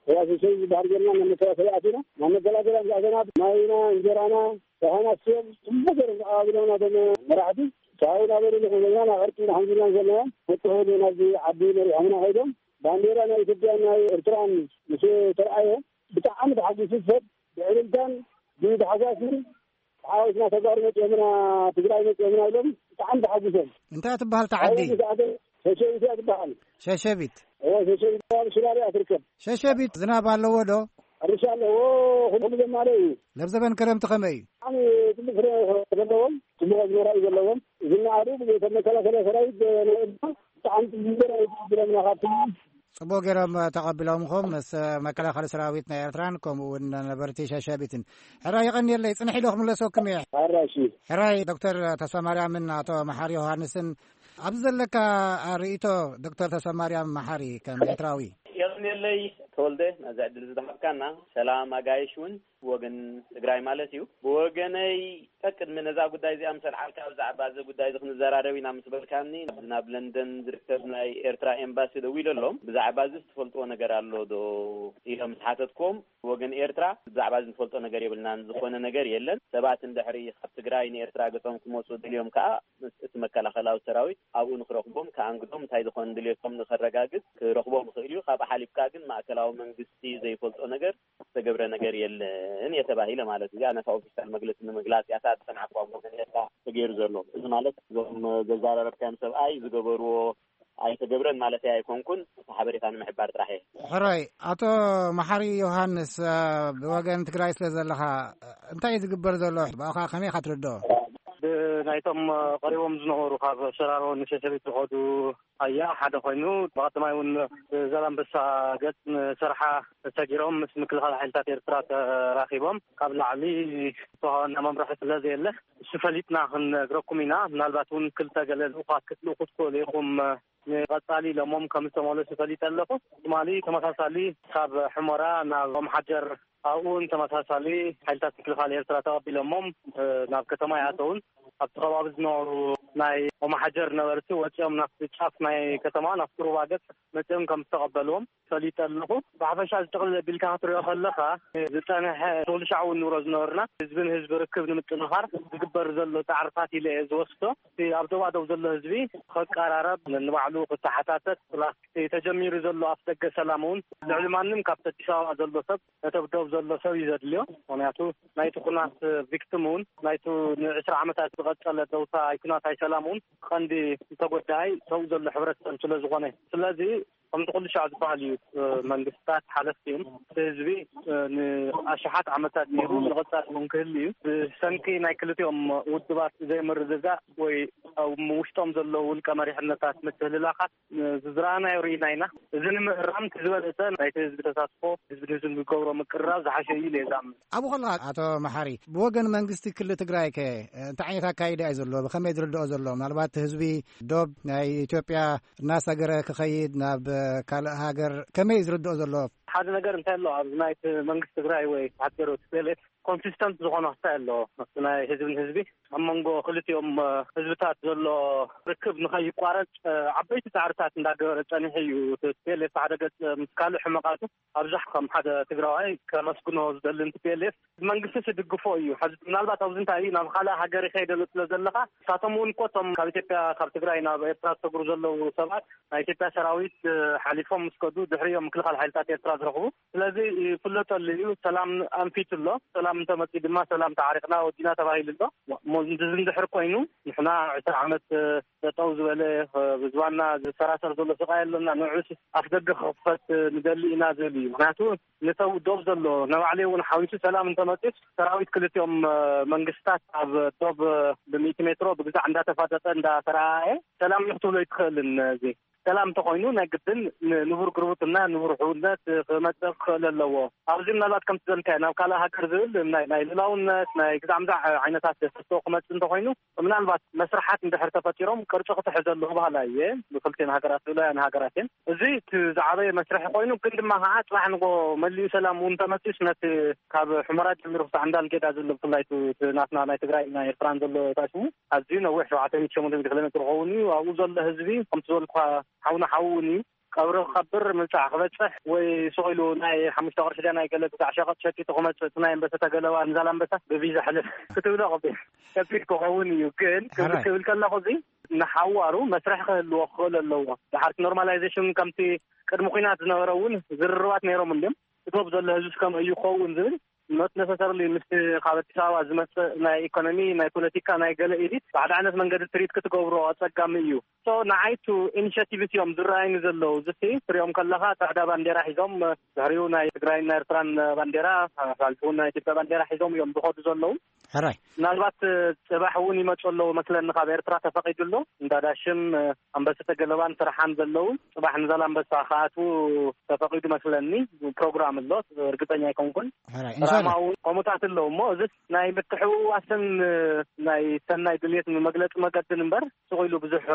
ያሰሸይ ዝበሃል ጌርና ናብ መከላከሊ ኣቲና። ናብ መከላከሊ ምስ ኣተና ማይና፣ እንጀራና፣ ደሓና ስም ጽቡቅ ገይሮም ተቐባቢሎምና እቶም መራሕቲ። ካብኡ እናበሉ ንሕና ናብ ዕርቂ ንሓንጊልና ዘለና። መጥቶ ናብዚ ዓዲ መሪሖምና ከይዶም። ባንዴራ ናይ ኢትዮጵያን ናይ ኤርትራን ምስ ተረኣየ ብጣዕሚ ተሓጒሱ ሰብ ብዕልልታን ብታሕጓስን፣ "ዓወትና ተጋሩ መፂኦምና፣ ትግራይ መፂኦምና" ኢሎም ብጣዕሚ ተሓጒሶም። እንታይ ትበሃል እታ ዓዲ? ኣብኡ ምስ ኣተና ሸሸቢት እያ ትበሃል። ሸሸቢት? እወ፣ ሸሸቢት ኣብ ሽራሮ እያ ትርከብ። ሸሸቢት ዝናብ ኣለዎ ዶ? ሕርሻ ኣለዎ፣ ኩሉ ዘማልአ እዩ። ለብዘበን ክረምቲ ከመይ እዩ? ብጣዕሚ ፅቡቅ ፍረ ዘለዎም፣ ፅቡቅ ኣዝመራ እዩ ዘለዎም። ዝነኣዱ ብዘይቶም መከላከልያ ሰራዊት ናይ ኤርትራ ብጣዕሚ ፅቡቅ ገይሮም ተቐቢሎምና ካብቲ ጽቡቕ ገይሮም ተቐቢሎምኹም። ምስ መከላኸሊ ሰራዊት ናይ ኤርትራን ከምኡ እውን ነበርቲ ሸሸቢትን። ሕራይ የቐንየለይ፣ ጽንሒ ኢለ ክምለሰኩም እየ። ሕራይ፣ እሺ። ሕራይ ዶክተር ተስፋማርያምን ኣቶ መሓሪ ዮሃንስን፣ ኣብዚ ዘለካ ርእይቶ ዶክተር ተስፋማርያም መሓሪ ከም ኤርትራዊ። የቐንየለይ ተወልደ፣ ነዚ ዕድል ዝሃብካና። ሰላም ኣጋይሽ እውን። ብወገን ትግራይ ማለት እዩ። ብወገነይ፣ ቀቅድሚ ነዛ ጉዳይ እዚኣ ምስ ኣልዓልካ፣ ብዛዕባ እዚ ጉዳይ እዚ ክንዘራረብ ኢና ምስ በልካኒ፣ ናብ፣ ናብ ለንደን ዝርከብ ናይ ኤርትራ ኤምባሲ ደዊለ ኣሎም። ብዛዕባ እዚ ትፈልጥዎ ነገር ኣሎ ዶ ኢለ ምስ ሓተትክዎም፣ ብወገን ኤርትራ ብዛዕባ እዚ ንፈልጦ ነገር የብልናን፣ ዝኾነ ነገር የለን። ሰባት እንድሕሪ ካብ ትግራይ ንኤርትራ ገጾም ክመጹ ደልዮም ከኣ፣ ምስ እቲ መከላኸላዊ ሰራዊት ኣብኡ ንክረኽቦም፣ ከኣንግዶም፣ እንታይ ዝኾነ ድልየቶም ንኸረጋግጽ ክረኽቦም ይኽእል እዩ። ካብኡ ሓሊፍካ ግን ማእከላዊ መንግስቲ ዘይፈልጦ ነገር ዝተገብረ ነገር የለን እየ ተባሂለ ማለት እዩ። ነታ ኦፊሻል መግለፂ ንምግላፅ እያ እታ ዝሰማዕኩዋ ወገን እያ ተገይሩ ዘሎ። እዚ ማለት እዞም ዘዛረብካዮም ሰብኣይ ዝገበርዎ ኣይተገብረን ማለት ኣይኮንኩን፣ እቲ ሓበሬታ ንምሕባር ጥራሕ እየ። ሕራይ። ኣቶ መሓሪ ዮሃንስ፣ ብወገን ትግራይ ስለ ዘለኻ እንታይ እዩ ዝግበር ዘሎ? ብኣኻ ከመይ ኢኻ ትርድኦ? ብናይቶም ቀሪቦም ዝነበሩ ካብ ሸራሮ ንሸሸቢት ዝኸዱ ኣያ ሓደ ኮይኑ፣ ብቐዳማይ እውን ብዛላምበሳ ገጽ ንሰርሓ ተሰጊሮም ምስ ምክልኻል ሓይልታት ኤርትራ ተራኺቦም፣ ካብ ላዕሊ ዝተዋሃበና መምርሒ ስለ ዘየለ፣ እሱ ፈሊጥና ክንነግረኩም ኢና። ምናልባት እውን ክልተ ገለ ልኡኻት ክትልእኹ ትኽእሉ ኢኹም፣ ንቐጻሊ ኢሎሞም ከም ዝተመለሱ ፈሊጠ ኣለኹ። ትማሊ ተመሳሳሊ ካብ ሕሞራ ናብ ኦምሓጀር ኣብኡ እውን ተመሳሳሊ ሓይልታት ምክልኻል ኤርትራ ተቐቢሎሞም ናብ ከተማ ይኣተውን ኣብቲ ከባቢ ዝነበሩ ናይ ኦምሓጀር ነበርቲ ወፂኦም ናብቲ ጫፍ ናይ ከተማ ናብቲ ሩባ ገፅ መፂኦም ከም ዝተቐበልዎም ፈሊጠ ኣለኹ። ብሓፈሻ ዝጥቕልል ኣቢልካ ክትሪኦ ከለኻ ዝፀንሐ ትኽልሻዕ እውን ንብሎ ዝነበርና ህዝብን ህዝቢ ርክብ ንምጥንኻር ዝግበር ዘሎ ፃዕርታት ኢለ እየ ዝወስዶ። እቲ ኣብ ዶባዶብ ዘሎ ህዝቢ ከቀራረብ ንባዕሉ ክተሓታተት ፕላስ ተጀሚሩ ዘሎ ኣፍደገ ሰላም እውን ልዕሊ ማንም ካብቲ ኣዲስ ኣበባ ዘሎ ሰብ ነቲ ኣብ ዶብ ዘሎ ሰብ እዩ ዘድልዮ። ምክንያቱ ናይቲ ኩናት ቪክቲም እውን ናይቲ ንዕስራ ዓመታት ዝቐጸለ ደውታ ኣይኩናት ኣይሰላም እውን ቀንዲ ተጎዳኣይ ሰው ዘሎ ሕብረተሰብ ስለ ዝኾነ ስለዚ ከምቲ ኩሉ ሻዕ ዝበሃል እዩ። መንግስታት ሓለፍቲ እዮም። እቲ ህዝቢ ንኣሽሓት ዓመታት ነይሩ ንቐጻሊ እውን ክህል እዩ። ብሰንኪ ናይ ክልቲኦም ውድባት ዘይምርድዳእ ወይ ኣብ ውሽጦም ዘሎ ውልቀ መሪሕነታት ምትህልላኻት ዝዝረኣናዮ ርኢና ኢና። እዚ ንምእራም እቲ ዝበለፀ ናይቲ ህዝቢ ተሳትፎ ህዝቢ ንህዝቢ ዝገብሮ ምቅርራብ ዝሓሸ እዩ ኢለ እየ ዝኣምን። ኣብኡ ከለኻ ኣቶ መሓሪ ብወገን መንግስቲ ክልል ትግራይ ከ እንታይ ዓይነት ኣካይዳ እዩ ዘሎ? ብኸመይ ዝርድኦ ዘሎ? ምናልባት ህዝቢ ዶብ ናይ ኢትዮጵያ እናሰገረ ክኸይድ ናብ ካልእ ሃገር ከመይ እዩ ዝርድኦ ዘሎ? ሓደ ነገር እንታይ ኣሎ ኣብዚ ናይቲ መንግስቲ ትግራይ ወይ ሃገር ቲ ፒ ኤል ኤፍ ኮንሲስተንት ዝኾነ ክታይ ኣሎ ናይ ህዝቢ ንህዝቢ ኣብ መንጎ ክልቲኦም ህዝብታት ዘሎ ርክብ ንኸይቋረፅ ዓበይቲ ፃዕርታት እንዳገበረ ፀኒሑ እዩ። ቲ ፒ ኤል ኤፍ ሓደ ገፅ ምስ ካልእ ሕመቃቱ ኣብዛሕ ከም ሓደ ትግራዋይ ከመስግኖ ዝደሊ ቲ ፒ ኤል ኤፍ መንግስቲ ዝድግፎ እዩ። ሕዚ ምናልባት ኣብዚ እንታይ እዩ ናብ ካልእ ሃገር ይኸይደ ስለ ዘለኻ ንሳቶም እውን እኮ እቶም ካብ ኢትዮጵያ ካብ ትግራይ ናብ ኤርትራ ዝሰግሩ ዘለዉ ሰባት ናይ ኢትዮጵያ ሰራዊት ሓሊፎም ምስ ከዱ ድሕሪኦም ምክልኻል ሓይልታት ኤርትራ ዝረኽቡ ስለዚ ይፍለጠሉ እዩ። ሰላም ኣንፊቱ ኣሎ። ሰላም እንተመፂኡ ድማ ሰላም ተዓሪቕና ወዲና ተባሂሉ ኣሎ። እሞ እዚ እንድሕር ኮይኑ ንሕና ዕስራ ዓመት ጠጠው ዝበለ ብዝባና ዝሰራሰር ዘሎ ስቃይ ኣለና። ንዑስ ኣፍደገ ክኽፈት ንደሊ ኢና ዝብል እዩ። ምክንያቱ ንሰው ዶብ ዘሎ ነባዕለይ እውን ሓዊሱ ሰላም እንተመፂስ ሰራዊት ክልቲኦም መንግስታት ኣብ ዶብ ብሚእቲ ሜትሮ ብግዛዕ እንዳተፋጠጠ እንዳተረኣየ ሰላም እዩ ክትብሎ ይትኽእልን እዚ ሰላም እንተኾይኑ ናይ ግድን ንቡር ግርብትና ንቡር ሕውነት ክመፅእ ክኽእል ኣለዎ። ኣብዚ ምናልባት ከምቲ ዘልካዮ ናብ ካልእ ሃገር ዝብል ናይ ናይ ልላውነት ናይ ግዛዕ ምዛዕ ዓይነታት ተስቶ ክመፅእ እንተኾይኑ ምናልባት መስርሓት እንድሕር ተፈጢሮም ቅርፂ ክትሕዘሉ ክባህላ እየ። ብክልቲን ሃገራት ልኡላውያን ሃገራት እየን። እዚ እቲ ዝዓበየ መስርሒ ኮይኑ ግን ድማ ከዓ ፅባሕ ንጎ መሊኡ ሰላም እውን ተመፂስ ነቲ ካብ ሕመራ ጀሚሩ ክሳዕ እንዳልጌዳ ዘሎ ብፍላይ ናትና ናይ ትግራይ ናይ ኤርትራን ዘሎ ታሽሙ ኣዝዩ ነዊሕ ሸውዓተ ሚእቲ ሸሞንተ ሚእቲ ኪሎ ሜትር ክኸውን እዩ። ኣብኡ ዘሎ ህዝቢ ከምቲ ዝበልኩኻ ሓውና ሓዊ እውን እዩ። ቀብሪ ክቐብር ምብጻሕ ክበጽሕ ወይ ስቕ ኢሉ ናይ ሓሙሽተ ቅርሺ ድያ ናይ ገለ ግዛዕ ሸቐጥ ሸቂጡ ክመጽእ እቲ ናይ ኣንበሰተ ገለባ ንዛላንበሳ ብቪዛ ሕልፍ ክትብሎ ከቢድ ከቢድ ክኸውን እዩ። ግን ክብል ክብል ከለኹ እዚ ንሓዋሩ መስርሕ ክህልዎ ክኽእል ኣለዎ። ድሓርቲ ኖርማላይዜሽን ከምቲ ቅድሚ ኲናት ዝነበረ እውን ዝርርባት ነይሮም እንድዮም። እቶም ዘሎ ህዝቢ ከመይ እዩ ክኸውን ዝብል ኖት ነሰሰርሊ ምስቲ ካብ ኣዲስ ኣበባ ዝመፅእ ናይ ኢኮኖሚ ናይ ፖለቲካ ናይ ገለ ኢሊት ብሓደ ዓይነት መንገዲ ትሪት ክትገብሮ ኣፀጋሚ እዩ። ንዓይቱ ኢኒሽቲቭስ እዮም ዝረኣይኒ ዘለዉ ዝቲ ትሪኦም ከለካ ፃዕዳ ባንዴራ ሒዞም ድሕሪኡ ናይ ትግራይን ናይ ኤርትራን ባንዴራ ሓልፉ ናይ ኢትዮጵያ ባንዴራ ሒዞም እዮም ዝኸዱ ዘለዉ። ሕራይ ምናልባት ፅባሕ እውን ይመፁ ኣለዉ መስለኒ ካብ ኤርትራ ተፈቂዱ ኣሎ እንዳዳሽም ኣንበሰተ ገለባን ስራሓን ዘለዉ ፅባሕ ንዛላንበሳ ክኣትዉ ተፈቒዱ መስለኒ። ፕሮግራም ኣሎ እርግፀኛ ኣይኮንኩን። ሕራይ እንሻላ። ራማው ከምኡታት ኣለዉ እሞ እዚ ናይ ምትሕውዋስን ናይ ሰናይ ድልየት መግለፂ መገድን እምበር ስቕ ኢሉ ብዙሕ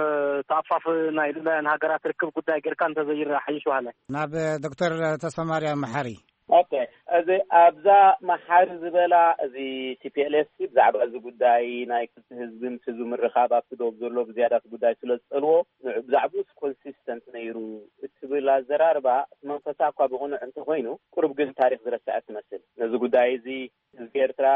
ተኣፋፍ ናይ ልላያን ሃገራት ርክብ ጉዳይ ጌርካ እንተዘይረኣ ሓይሽ በሃላይ። ናብ ዶክተር ተስፋ ማርያም መሓሪ። ኦኬ፣ እዚ ኣብዛ መሓሪ ዝበላ እዚ ቲ ፒ ኤል ኤፍ ሲ ብዛዕባ እዚ ጉዳይ ናይ ክልተ ህዝቢ ምስ ህዝቢ ምርኻብ ኣብቲ ዶብ ዘሎ ብዝያዳ እቲ ጉዳይ ስለ ዝጸልዎ ንዑ ብዛዕባኡስ ኮንሲስተንት ነይሩ እትብል ኣዘራርባ እቲ መንፈሳ እኳ ብቕኑዕ እንተኾይኑ ቁሩብ ግን ታሪኽ ዝረስዐ ትመስል። ነዚ ጉዳይ እዚ ህዝቢ ኤርትራ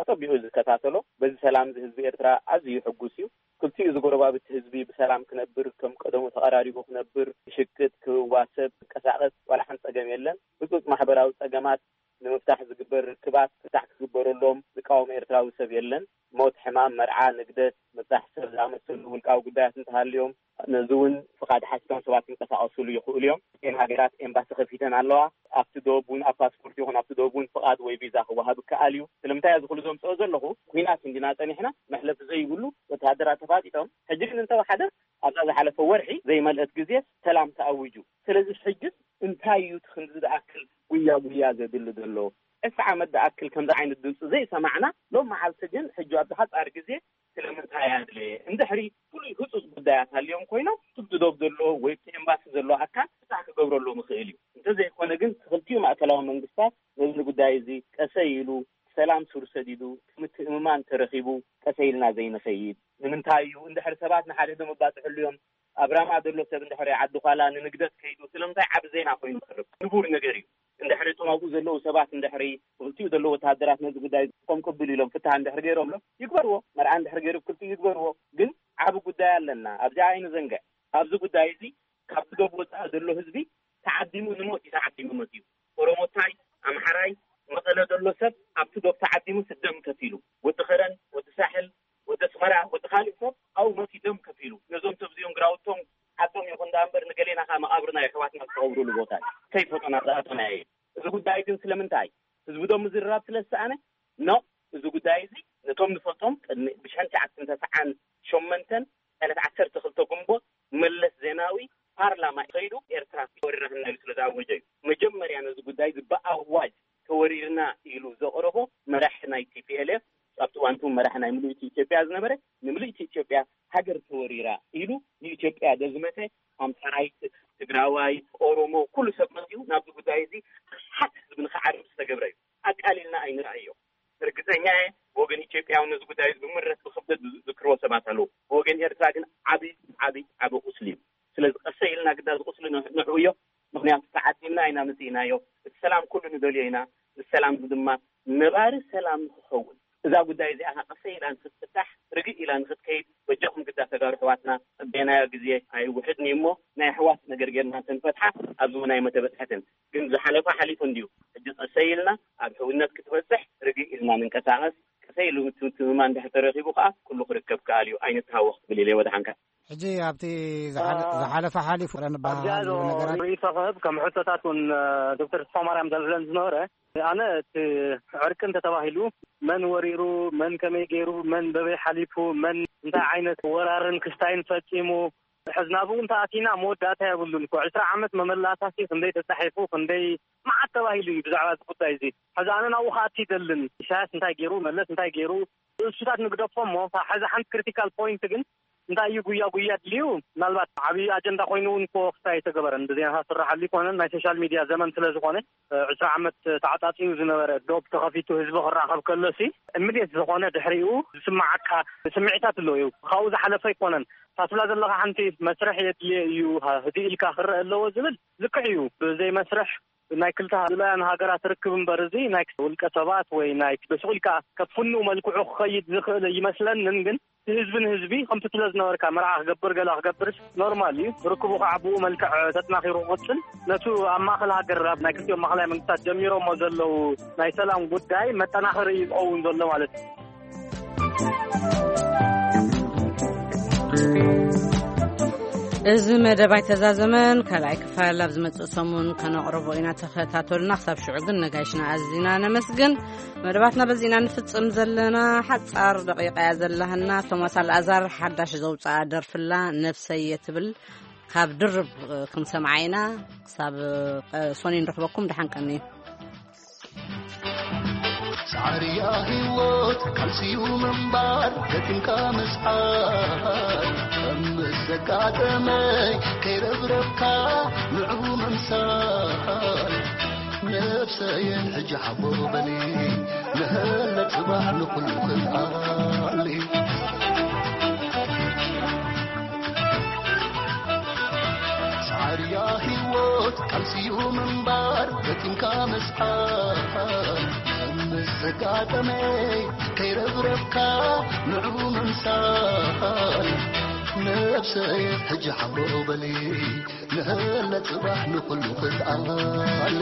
ኣጸቢቑ እዩ ዝከታተሎ። በዚ ሰላም እዚ ህዝቢ ኤርትራ ኣዝዩ ሕጉስ እዩ። ክልቲኡ እዚ ጎረባብቲ ህዝቢ ብሰላም ክነብር ከም ቀደሙ ተቐራሪቡ ክነብር ክሽቅጥ ክዋሰብ ክንቀሳቐስ ዋላ ሓንቲ ጸገም የለን። ህጹጽ ማሕበራዊ ጸገማት ንምፍ ፍታሕ ዝግበር ርክባት ፍታሕ ክግበረሎም ዝቃወም ኤርትራዊ ሰብ የለን። ሞት፣ ሕማም፣ መርዓ፣ ንግደት፣ ምብጻሕ ሰብ ዝኣመሰሉ ውልቃዊ ጉዳያት እንተሃልዮም፣ ነዚ እውን ፍቓድ ሓቲቶም ሰባት ክንቀሳቐሱሉ ይኽእሉ እዮም። እተን ሃገራት ኤምባሲ ከፊተን ኣለዋ። ኣብቲ ዶብ እውን፣ ኣብ ፓስፖርት ይኹን ኣብቲ ዶብ እውን ፍቓድ ወይ ቪዛ ክወሃብ ይከኣል እዩ። ስለምንታይ እዚ ኩሉ ዘምጽኦ ዘለኹ፣ ኲናት እንዲና ጸኒሕና፣ መሕለፊ ዘይብሉ ወተሃደራት ተፋጢጦም። ሕጂ ግን እንተወሓደ ኣብዛ ዝሓለፈ ወርሒ ዘይመልአት ግዜ ሰላም ተኣዊጁ። ስለዚ ሕጂ እንታይ እዩ እቲ ክንዲ ዝኣክል ጉያ ጉያ ዘድሊ ዘሎ? ዕስራ ዓመት ዝኣክል ከምዚ ዓይነት ድምፂ ዘይሰማዕና፣ ሎም መዓልቲ ግን ሕጂ ኣብዚ ሓፃር ግዜ ስለምንታይ ኣድለየ? እንድሕሪ ፍሉይ ህፁፅ ጉዳያት ሃልዮም ኮይኖም፣ እቲ ዶብ ዘለዎ ወይ እቲ ኤምባሲ ዘለዎ ኣካል ፍታሕ ክገብረሎም ይኽእል እዩ። እንተዘይኮነ ግን ክልቲኡ ማእከላዊ መንግስታት ነዚ ጉዳይ እዚ ቀሰይ ኢሉ ሰላም ሱር ሰዲዱ፣ ምትእምማን ተረኺቡ፣ ቀሰይ ኢልና ዘይንኸይድ ንምንታይ እዩ? እንድሕሪ ሰባት ንሓድሕዶም ኣባፅሕሉ እዮም። ኣብ ራማ ዘሎ ሰብ እንድሕሪ ዓዲ ኳላ ንንግደት ከይዱ ስለምንታይ ዓቢ ዜና ኮይኑ ይቐርብ? ንቡር ነገር እዩ። እንድሕሪ እቶም ኣብኡ ዘለዉ ሰባት እንድሕሪ ብክልቲኡ ዘለዉ ወተሃደራት ነዚ ጉዳይ ከም ቅብል ኢሎም ፍታሕ እንድሕሪ ገይሮምሎ ይግበርዎ። መርዓ እንድሕሪ ገይሩ ብክልቲኡ ይግበርዎ። ግን ዓቢ ጉዳይ ኣለና። ኣብዚኣ ኣይንዘንግዕ። ኣብዚ ጉዳይ እዚ ካብቲ ዶብ ወፃኢ ዘሎ ህዝቢ ተዓዲሙ ንሞት እዩ ተዓዲሙ መፅዩ። ኦሮሞታይ፣ ኣምሓራይ፣ መቐለ ዘሎ ሰብ ኣብቲ ዶብ ተዓዲሙ ስደም ከፊሉ። ወዲ ኸረን፣ ወዲ ሳሕል፣ ወዲ ኣስመራ፣ ወዲ ካልእ ሰብ ኣብኡ መፂኡ ደም ከፊሉ። ነዞም ሰብ እዚኦም ግራውቶም ዓዶም ይኹን ደኣ እምበር ንገሌና ከዓ መቓብርና የሕዋትና ዝተቐብሩሉ ቦታ እዩ። ከይፈጦና ዝኣተናዮ እዩ። እዚ ጉዳይ ግን ስለምንታይ ህዝቢ ዶ ምዝርራብ ስለ ዝሰኣነ? ኖ፣ እዚ ጉዳይ እዚ ነቶም ንፈልጦም ቅድሚ ብሽሕን ትሽዓተ ሚእትን ተስዓን ሸሞንተን ዕለት ዓሰርተ ክልተ ግንቦት መለስ ዜናዊ ፓርላማ ከይዱ ኤርትራ ወሪራትና ኢሉ ስለ ዝኣወጀ እዩ። መጀመርያ ነዚ ጉዳይ እዚ ብኣዋጅ ተወሪርና ኢሉ ዘቕረቦ መራሕ ናይ ቲ ፒ ኤል ኤፍ፣ ኣብቲ እዋን እቲ መራሕ ናይ ምልእቲ ኢትዮጵያ ዝነበረ፣ ንምልእቲ ኢትዮጵያ ሃገር ተወሪራ ኢሉ ንኢትዮጵያ ዘዝመተ ኣምሓራይ፣ ትግራዋይ፣ ኦሮሞ፣ ኩሉ ሰብ መፂኡ ናብዚ ጉዳይ እዚ ሓት ህዝቢ ንክዓርብ ዝተገብረ እዩ። ኣቃሊልና ኣይንርኣዮ። ርግፀኛ እየ፣ ብወገን ኢትዮጵያውን ነዚ ጉዳይ እዚ ብምረት ብክብደት ዝዝክርዎ ሰባት ኣለዉ። ብወገን ኤርትራ ግን ዓብዪ፣ ዓብዪ፣ ዓብዪ ቁስሊ እዩ። ስለዚ ቀሰይ ኢልና ግዳ እዚ ቁስሊ ንዕ-፣ ንዕብዮ። ምኽንያቱ ተዓዲምና ኢና መፂእናዮ። እቲ ሰላም ኩሉ ንደልዮ ኢና። እዚ ሰላም እዚ ድማ ነባሪ ሰላም ንክኸውን፣ እዛ ጉዳይ እዚኣ ኸዓ ቀሰይ ኢላ ንክትፍታሕ፣ ርግእ ኢላ ንክትከይድ፣ በጃኹም ግዳ ተጋሩ ኣሕዋትና፣ ጸበናዮ ግዜ ኣይውሕድን እዩ እሞ፣ ናይ ኣሕዋት ነገር ጌርና እንተንፈትሓ፣ ኣብዚ እውን ኣይመተበጽሐትን። ግን ዝሓለፈ ሓሊፉ እንድዩ። ሕጂ ቀሰይ ኢልና ኣብ ሕውነት ክትበጽሕ ርግእ ኢልና ንንቀሳቐስ። ቀሰይ ኢሉ ምትምትምማ እንድሕር ተረኺቡ ከኣ፣ ኩሉ ክርከብ ከኣል እዩ። ኣይንተሃወኽ ክብል ኢለ ወድሓንካ። ሕጂ ኣብቲ ዝሓለ-፣ አ-፣ ዝሓለፈ ሓሊፉ ንበሃል ኣብዚኣ ዘሎ ዶ ነገራት ርእይቶ ክህብ፣ ከም ሕቶታት እውን፣ እ፣ ዶክተር ተስፋማርያም ዘልዕለን ዝነበረ፣ ኣነ እቲ ዕርቂ እንተተባሂሉ፣ መን ወሪሩ፣ መን ከመይ ገይሩ፣ መን በበይ ሓሊፉ፣ መን እንታይ ዓይነት ወራርን ክስታይን ፈጺሙ፣ ሕዝናቡ እንተኣቲና መወዳእታ የብሉን እኮ። ዕስራ ዓመት መመላእታሲ ክንደይ ተጻሒፉ፣ ክንደይ መዓት ተባሂሉ እዩ ብዛዕባ እዚ ጉዳይ እዚ። ሕዚ ኣነ ናብኡ ክኣቲ ይደልን። ኢሳያስ እንታይ ገይሩ፣ መለስ እንታይ ገይሩ፣ እሱታት ንግደፎ እሞ፣ እታ ሕዚ ሓንቲ ክሪቲካል ፖይንት ግን እንታይ እዩ ጉያ ጉያ ድልዩ? ምናልባት ዓብዪ ኣጀንዳ ኮይኑ እውን እኮ ክስታይ ኣይተገበረን። ብዜናታት ዝስራሓሉ ኣይኮነን። ናይ ሶሻል ሚድያ ዘመን ስለ ዝኾነ፣ እ፣ ዕስራ ዓመት ተዓጻጺዩ ዝነበረ ዶብ ተኸፊቱ ህዝቢ ክራኸብ ከሎሲ፣ ኢሚድየት ዝኾነ ድሕሪኡ ዝስማዓካ ስምዒታት ኣሎ እዩ። ካብኡ ዝሓለፈ ኣይኮነን። እታ ትብላ ዘለኻ ሓንቲ መስርሕ የድልየ እዩ፣ ሃ-፣ ህድእ ኢልካ ክረአ ኣለዎ ዝብል ልክዕ እዩ። ብዘይ መስርሕ ናይ ክልተ ሃ-፣ ልኡላውያን ሃገራት ርክብ እምበር፣ እዚ ናይ ውልቀ ሰባት ወይ ናይ ብስቕ ኢልካ ከፍኑ መልክዑ ክኸይድ ዝኽእል ይመስለንን፣ ግን ህዝቢ ንህዝቢ ከምቲ ትብሎ ዝነበርካ መርዓ ክገብር ገላ ክገብርስ ኖርማል እዩ። ርክቡ ከዓ ብኡ መልክዕ ተጠናኺሩ ክቕጽል፣ ነቱ ኣብ ማእከል ሃገር ኣብ ናይ ክልቲኦም ማእከላይ መንግስታት ጀሚሮሞ ዘለዉ ናይ ሰላም ጉዳይ መጠናኸሪ እዩ ዝኸውን ዘሎ ማለት እዩ። እዚ መደብ ኣይተዛዘመን፣ ካልኣይ ክፋል ኣብ ዝመጽእ ሰሙን ከነቕርቦ ኢና። ተኸታተሉና። ክሳብ ሽዑ ግን ነጋይሽና ኣዚና ነመስግን። መደባትና በዚና ንፍጽም ዘለና። ሓጻር ደቂቃ እያ ዘለሃና። ቶማስ ኣልኣዛር ሓዳሽ ዘውጽኣ ደርፍላ ነብሰየ ትብል ካብ ድርብ ክንሰምዓ ኢና። ክሳብ፣ እ፣ ሶኒ ንረኽበኩም። ደሓን ቀንዩ። ጻዕርያ ህይወት ካልሲዩ ምንባር ደኪምካ ምስዓር ከም ዘጋጠመይ ከይረብረብካ ንዕኡ ምምሳል ነብሰየ ሕጂ ሓቦ በሊ ንህለ ጽባሕ ንኹሉ ክልኣሊ ጻዕርያ ህይወት ካልሲዩ ምንባር ደኪምካ ምስዓር ምስ ዘጋጠመይ ከይረብረብካ ንዑ ምምሳል ነብሰይ ሕጂ ሓቦ በሊ ንህለ ጽባሕ ንኹሉ ክትኣሊ